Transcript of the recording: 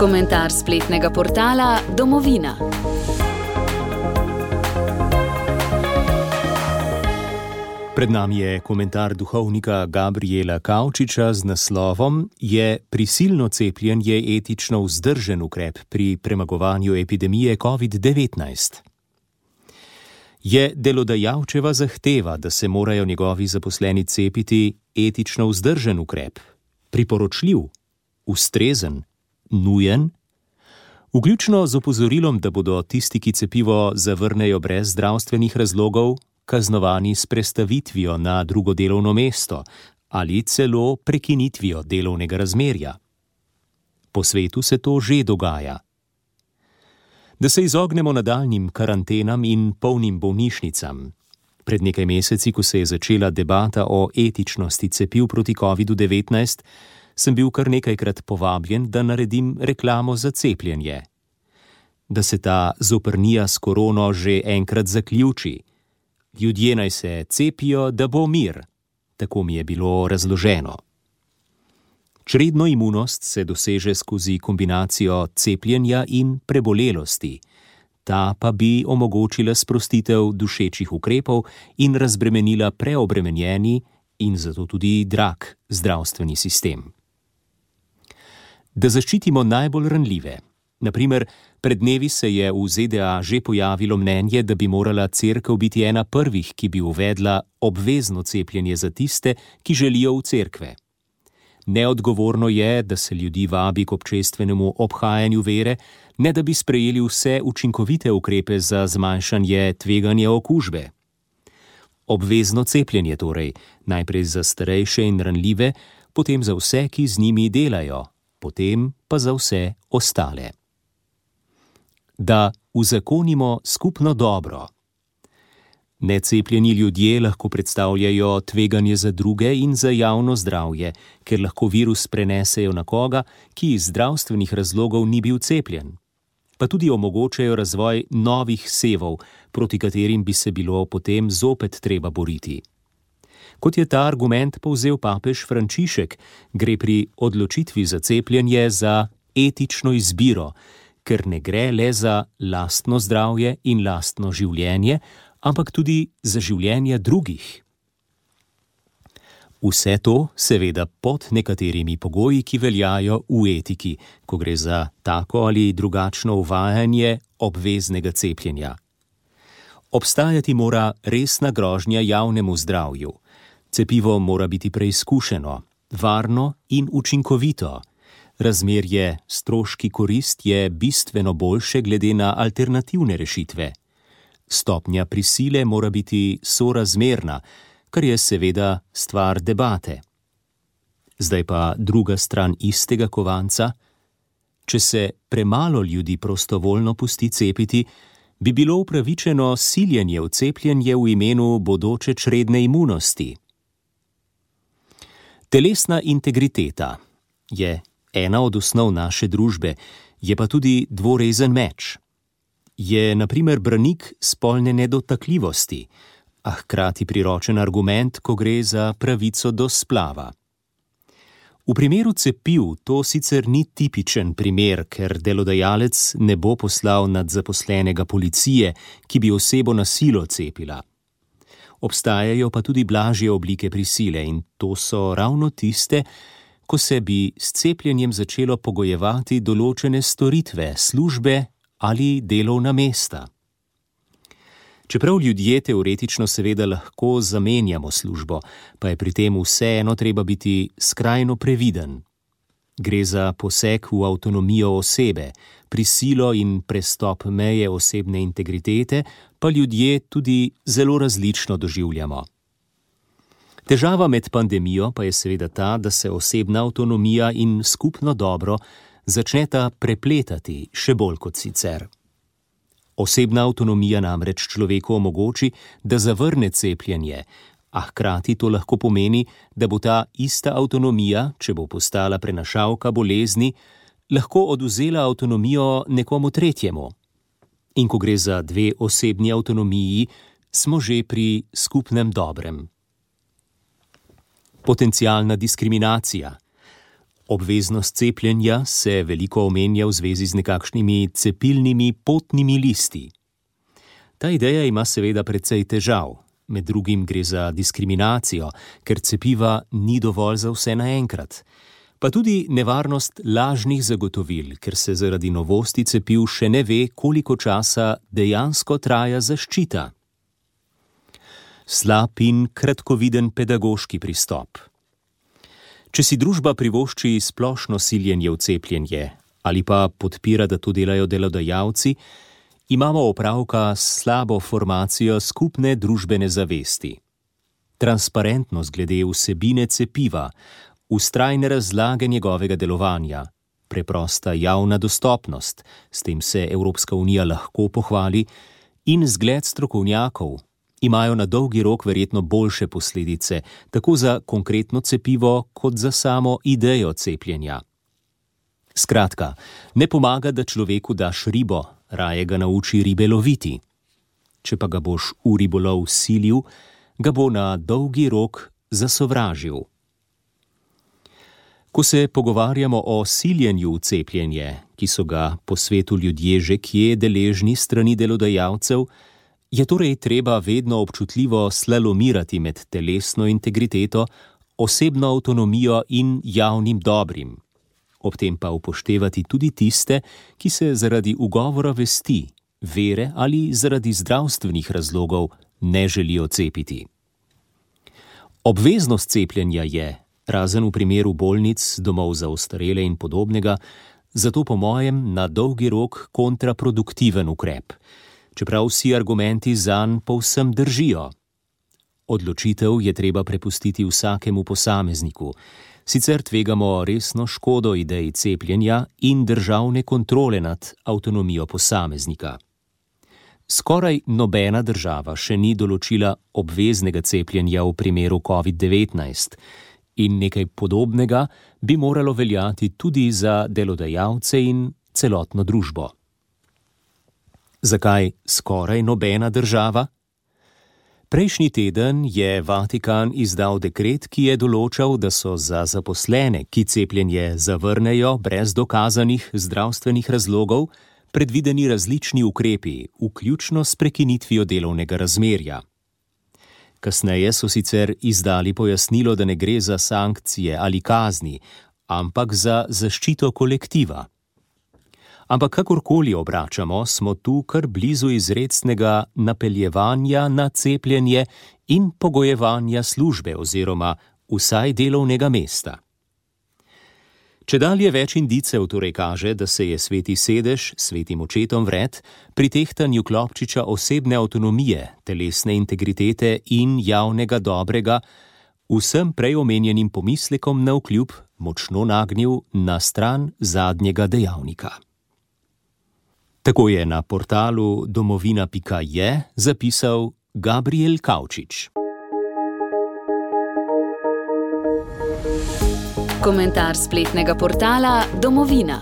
Komentar spletnega portala Domovina. Pred nami je komentar duhovnika Gabriela Kavčiča z naslovom Je prisilno cepljenje etično vzdržen ukrep pri premagovanju epidemije COVID-19? Je delodajalčeva zahteva, da se morajo njegovi zaposleni cepiti, etično vzdržen ukrep, priporočljiv, ustrezen, nujen? Vključno z opozorilom, da bodo tisti, ki cepivo zavrnejo brez zdravstvenih razlogov, kaznovani s prestavitvijo na drugo delovno mesto ali celo prekinitvijo delovnega razmerja. Po svetu se to že dogaja. Da se izognemo nadaljnjim karantenam in polnim bolnišnicam. Pred nekaj meseci, ko se je začela debata o etičnosti cepiv proti COVID-19, sem bil kar nekajkrat povabljen, da naredim reklamo za cepljenje. Da se ta zoprnija s korono že enkrat zaključi. Ljudje naj se cepijo, da bo mir. Tako mi je bilo razloženo. Čredno imunost se doseže skozi kombinacijo cepljenja in prebolelosti. Ta pa bi omogočila sprostitev dušečih ukrepov in razbremenila preobremenjeni in zato tudi drag zdravstveni sistem. Da zaščitimo najbolj ranljive. Na primer, pred dnevi se je v ZDA že pojavilo mnenje, da bi morala cerkev biti ena prvih, ki bi uvedla obvezno cepljenje za tiste, ki želijo v cerkve. Neodgovorno je, da se ljudi vabi k občestvenemu obhajanju vere, ne da bi sprejeli vse učinkovite ukrepe za zmanjšanje tveganja okužbe. Obvezno cepljenje torej, najprej za starejše in ranljive, potem za vse, ki z njimi delajo, potem pa za vse ostale. Da uzakonimo skupno dobro. Necepljeni ljudje lahko predstavljajo tveganje za druge in za javno zdravje, ker lahko virus prenesejo na koga, ki iz zdravstvenih razlogov ni bil cepljen. Pa tudi omogočajo razvoj novih sevov, proti katerim bi se bilo potem zopet treba boriti. Kot je ta argument povzel papež Frančišek, gre pri odločitvi za cepljenje za etično izbiro, ker ne gre le za lastno zdravje in lastno življenje, ampak tudi za življenje drugih. Vse to seveda pod nekaterimi pogoji, ki veljajo v etiki, ko gre za tako ali drugačno uvajanje obveznega cepljenja. Obstajati mora resna grožnja javnemu zdravju. Cepivo mora biti preizkušeno, varno in učinkovito. Razmerje stroški korist je bistveno boljše glede na alternativne rešitve. Stopnja prisile mora biti sorazmerna, kar je seveda stvar debate. Zdaj pa druga stran istega kovanca. Če se premalo ljudi prostovoljno pusti cepiti, bi bilo upravičeno siljenje v cepljenje v imenu bodoče čredne imunosti. Telesna integriteta je ena od osnov naše družbe, je pa tudi dvorezen meč. Je na primer branik spolne nedotakljivosti, a hkrati priročen argument, ko gre za pravico do splava. V primeru cepiv to sicer ni tipičen primer, ker delodajalec ne bo poslal nad zaposlenega policije, ki bi osebo na silo cepila. Obstajajo pa tudi blažje oblike prisile in to so ravno tiste, ko se bi s cepljenjem začelo pogojevati določene storitve, službe ali delovna mesta. Čeprav ljudje teoretično seveda lahko zamenjamo službo, pa je pri tem vseeno treba biti skrajno previden. Gre za poseg v avtonomijo osebe, prisilo in prestop meje osebne integritete, pa ljudje tudi zelo različno doživljamo. Težava med pandemijo pa je seveda ta, da se osebna avtonomija in skupno dobro začneta prepletati še bolj kot sicer. Osebna avtonomija namreč človeku omogoči, da zavrne cepljenje, a hkrati to lahko pomeni, da bo ta ista avtonomija, če bo postala prenašalka bolezni, lahko odvzela avtonomijo nekomu tretjemu. In ko gre za dve osebni avtonomiji, smo že pri skupnem dobrem. Potencialna diskriminacija. Obveznost cepljenja se veliko omenja v zvezi z nekakšnimi cepilnimi potnimi listi. Ta ideja ima seveda precej težav. Med drugim gre za diskriminacijo, ker cepiva ni dovolj za vse naenkrat. Pa tudi nevarnost lažnih zagotovil, ker se zaradi novosti cepiv še ne ve, koliko časa dejansko traja zaščita. Slab in kratkoviden pedagoški pristop. Če si družba privošči splošno siljenje v cepljenje ali pa podpira, da to delajo delodajalci, imamo opravka s slabo formacijo skupne družbene zavesti. Transparentnost glede vsebine cepiva, vztrajne razlage njegovega delovanja, preprosta javna dostopnost, s tem se Evropska unija lahko pohvali, in zgled strokovnjakov imajo na dolgi rok verjetno boljše posledice, tako za konkretno cepivo, kot za samo idejo cepljenja. Skratka, ne pomaga, da človeku daš ribo, raje ga nauči ribe loviti. Če pa ga boš v ribolov silil, ga bo na dolgi rok zasovražil. Ko se pogovarjamo o siljenju v cepljenje, ki so ga po svetu ljudje že kje deležni strani delodajalcev, je torej treba vedno občutljivo slalomirati med telesno integriteto, osebno avtonomijo in javnim dobrim. Ob tem pa upoštevati tudi tiste, ki se zaradi ugovora vesti, vere ali zaradi zdravstvenih razlogov ne želijo cepiti. Obveznost cepljenja je, razen v primeru bolnic, domov za ostarele in podobnega, zato po mojem na dolgi rok kontraproduktiven ukrep, čeprav vsi argumenti zanj povsem držijo. Odločitev je treba prepustiti vsakemu posamezniku, sicer tvegamo resno škodo ideji cepljenja in državne kontrole nad avtonomijo posameznika. Skoraj nobena država še ni določila obveznega cepljenja v primeru COVID-19 in nekaj podobnega bi moralo veljati tudi za delodajalce in celotno družbo. Zakaj skoraj nobena država? Prejšnji teden je Vatikan izdal dekret, ki je določal, da so za zaposlene, ki cepljenje zavrnejo brez dokazanih zdravstvenih razlogov, predvideni različni ukrepi, vključno s prekinitvijo delovnega razmerja. Kasneje so sicer izdali pojasnilo, da ne gre za sankcije ali kazni, ampak za zaščito kolektiva. Ampak kakorkoli obračamo, smo tu kar blizu izrecnega napeljevanja na cepljenje in pogojevanja službe oziroma vsaj delovnega mesta. Čedalje več indicev torej kaže, da se je sveti sedež svetim očetom vred pri tehtanju klobčiča osebne avtonomije, telesne integritete in javnega dobrega vsem prej omenjenim pomislekom navkljub močno nagnil na stran zadnjega dejavnika. Tako je na portalu domovina.je zapisal Gabriel Kavčič. Komentar spletnega portala Domovina.